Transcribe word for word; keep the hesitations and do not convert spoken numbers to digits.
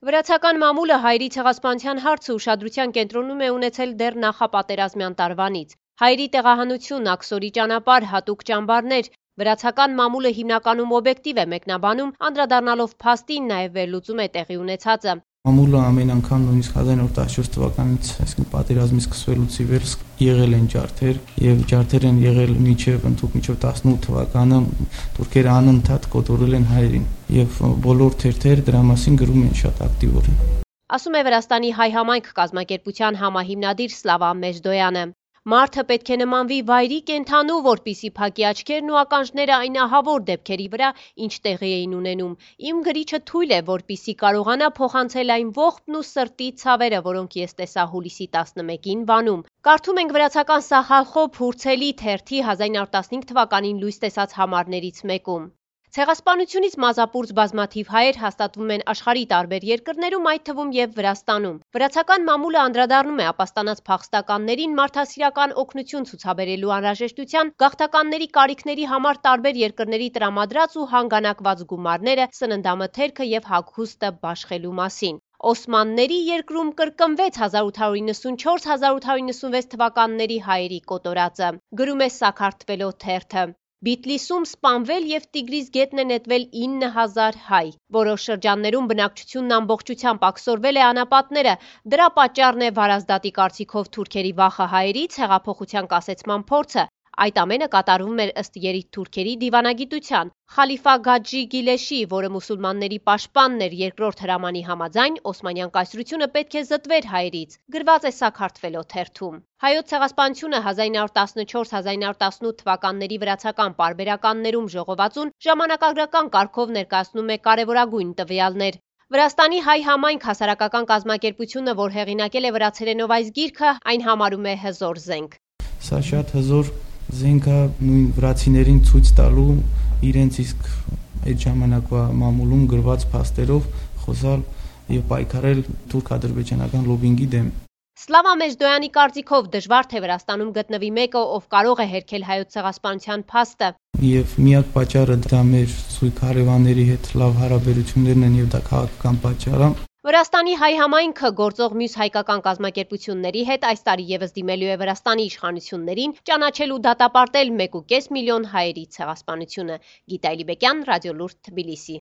Վրացական մամուլը հայերի ցեղասպանության հարցը ուշադրության կենտրոնում է ունեցել դեռ նախապատերազմյան տարվանից։ Հայերի տեղահանություն, աքսորի ճանապարհ, հատուկ ճամբարներ։ Վրացական մամուլը հիմնականում օբյեկտիվ է մեկնաբանում, անդրադառնալով փաստին, նաև վերլուծում է տեղի ունեցածը։ Մամուլը ամեն անգամ նույնիսկ հազար իննսուն տասնչորս թվականից, այսինքն պատերազմի սկսվելուց ի վեր եղել են ջարդեր, եւ ջարդեր են եղել մինչեւ ընդհանուր մինչեւ տասնութ թվականը թուրքերը անընդհատ կոտորել են հայերին եւ բոլոր թերթեր դրա մասին գրում են շատ ակտիվորեն։ Ասում է Վրաստանի հայ համայնք կազմակերպության համահիմնադիր Սլավա Մեժդոյանը։ Մարդը պետք է նմանվի վայրի կենդանու, որպիսի փակի աչքերն ու ականջները այն ահավոր դեպքերի վրա, ինչ տեղի էին ունենում։ Իմ գրիչը թույլ է, որպիսի կարողանա փոխանցել այն ողբն ու սրտի ցավերը, որոնք ես տեսա հուլիսի տասնմեկին Վանում։ Կարդում ենք վրացական Սախալխոփ Հուրցելի թերթի հազար իննսուն տասնհինգ թվականին լույս տեսած համարներից մեկում։ Ցեղասպանությունից մազապուրծ բազմաթիվ հայեր հաստատվում են աշխարհի տարբեր երկրներում, այդ թվում եւ Վրաստանում։ Վրացական մամուլը անդրադառնում է ապաստանած փախստականներին մարդասիրական օգնություն ցուցաբերելու անհրաժեշտության, գաղթականների կարիքների համար տարբեր երկրների տրամադրած ու հանգանակված գումարները, սննդամթերքը եւ հագուստը բաշխելու մասին։ Օսմանների երկրում կրկնվեց հազար ութ հարյուր իննսունչորս հազար ութ հարյուր իննսունվեց թվականների հայերի կոտորածը, գրում է Սաքարթվելո թերթը։ Բիթլիսում սպանվել եւ Տիգրիս գետն է նետվել ինը հազար հայ։ Որոշ շրջաններում բնակչությունն ամբողջությամբ աքսորվել է անապատները։ Դրա պատճառն է Վարազդատի կարծիքով թուրքերի վախը հայերից, հեղափոխության կասեցման փորձը։ Այդ ամենը կատարվում էր ըստ երիտ թուրքերի դիվանագիտության։ Խալիֆա Գաջի Գիլեշի, որը մուսուլմանների պաշտպանն էր երկրորդ հրամանի համաձայն, Օսմանյան կայսրությունը պետք է զտվեր հայերից, գրված է Սաքարթվելո թերթում։ Հայոց ցեղասպանությունը հազար իննսուն տասնչորս հազար իննսուն տասնութ թվականների վրացական պարբերականներում ժողովածուն ժամանակագրական կարգով ներկայացնում է կարևորագույն տվյալներ։ Վրաստանի հայ համայնք հասարակական կազմակերպությունը, որ հեղինակել է վրացերենով այս գիրքը, այն համարում է հզոր զենք։ Սա շատ հզոր զենք է նույն վրացիներին ցույց տալու իրենց իսկ այդ ժամանակվա մամուլում գրված փաստերով խոսալ եւ պայքարել թուրք-ադրբեջանական լոբինգի դեմ։ Սլավա Մեժդոյանի կարծիքով դժվար թե Վրաստանում գտնվի մեկը, ով կարող է հերքել հայոց ցեղասպանության փաստը։ Եվ միակ պատճառը դա մեր սույկ հարևանների հետ լավ հարաբերություններն են եւ դա քաղաքական պատճառ է։ Վրաստանի հայ համայնքը գործող մյուս հայկական կազմակերպությունների հետ այս տարի եւս դիմելու է Վրաստանի իշխանություններին ճանաչել ու դատապարտել մեկ ու կես միլիոն հայերի ցեղասպանությունը։ Գիտա Էլիբեկյան, Ռադիոլուրդ, Թբիլիսի։